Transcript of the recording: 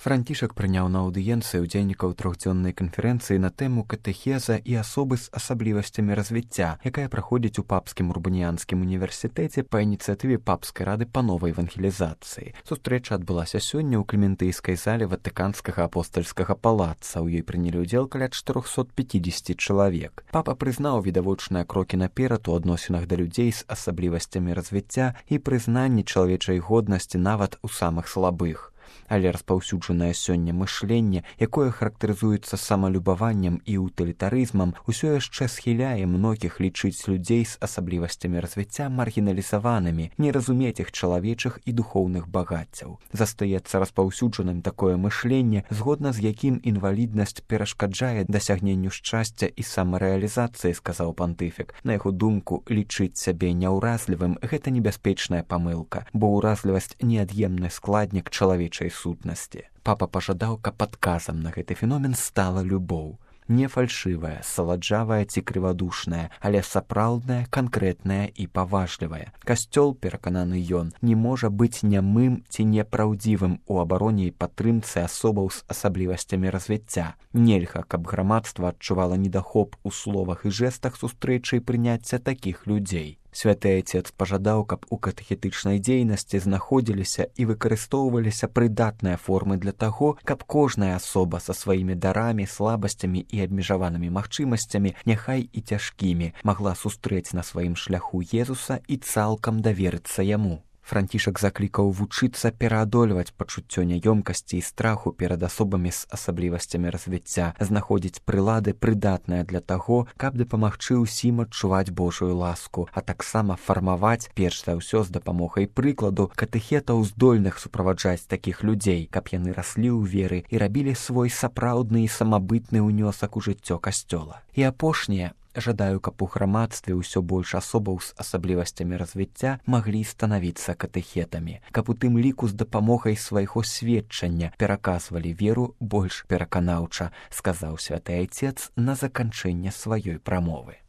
Францішак прыняў на аўдыенцыі ўдзельнікаў трохдзённай канферэнцыі на тэму катэхеза і асобы з асаблівасцямі развіцця, якая праходзіць у папскім урбаніянскім універсітэце па ініцыятыве папскай рады па новай евангелізацыі. Сустрэча адбылася сёння ў клементыйскай зале ватыканскага апостальскага палаца. У ёй прынялі ўдзел каля 450 чалавек. Папа прызнаў відавочныя крокі наперад у адносінах да людзей з асаблівасцямі развіцця і прызнанні чалавечай годнасці нават у самых слабых. Але распаўсюджанае сёння мышленне, якое характарызуецца самалюбаваннем і утылітарызмам, усё яшчэ схіляе многіх лічыць людзей з асаблівасцямі развіцця маргіналізаванымі, не разумець іх чалавечых і духоўных багаццяў. Застаецца распаўсюджаным такое мышленне, згодна з якім інваліднасць перашкаджае дасягненню шчасця і самарэалізацыі, сказаў пантыфік. На яго думку, лічыць сябе няўразлівым – гэта небяспечная памылка, бо ўразлівасць неад'емны складнік чалавечай сутнасці. Папа пажадаў, каб адказам на гэты феномен стала любоў. Не фальшывая, саладжавая ці крывадушная, але сапраўдная, канкрэтная і паважлівая. Касцёл, перакананы ён, не можа быць нямым ці непраўдзівым у абароне і падтрымцы асобаў з асаблівасцямі развіцця. Нельга, каб грамадства адчувала недахоп у словах і жэстах сустрэчы і прыняцця такіх людзей. Святы Отец пажадаў, каб у катэхетычнай дзейнасці знаходзіліся і выкарыстоўваліся прыдатныя формы для таго, каб кожная асоба са сваімі дарамі, слабасцямі і абмежаванымі магчымасцямі, няхай і цяжкімі, магла сустрэць на сваім шляху Езуса і цалкам даверыцца яму. Францішак заклікаў вучыцца пераадольваць пачуццё няёмкасці і страху перад асобамі з асаблівасцямі развіцця, знаходзіць прылады прыдатныя для таго, каб дапамагчы ўсім адчуваць Божую ласку, а таксама фармаваць, перш за ўсё з дапамогай прыкладу, катэхетаў здольных суправаджаць такіх людзей, каб яны раслі ў веры і рабілі свой сапраўдны і самабытны ўнёсак у жыццё касцёла. І апошняе, жадаю, каб у грамадстве ўсё больш асобаў з асаблівасцямі развіцця маглі станавіцца катэхетамі, каб у тым ліку з дапамогай свайго сведчання пераказвалі веру больш пераканаўча, сказаў святы Отец на заканчэнне сваёй прамовы.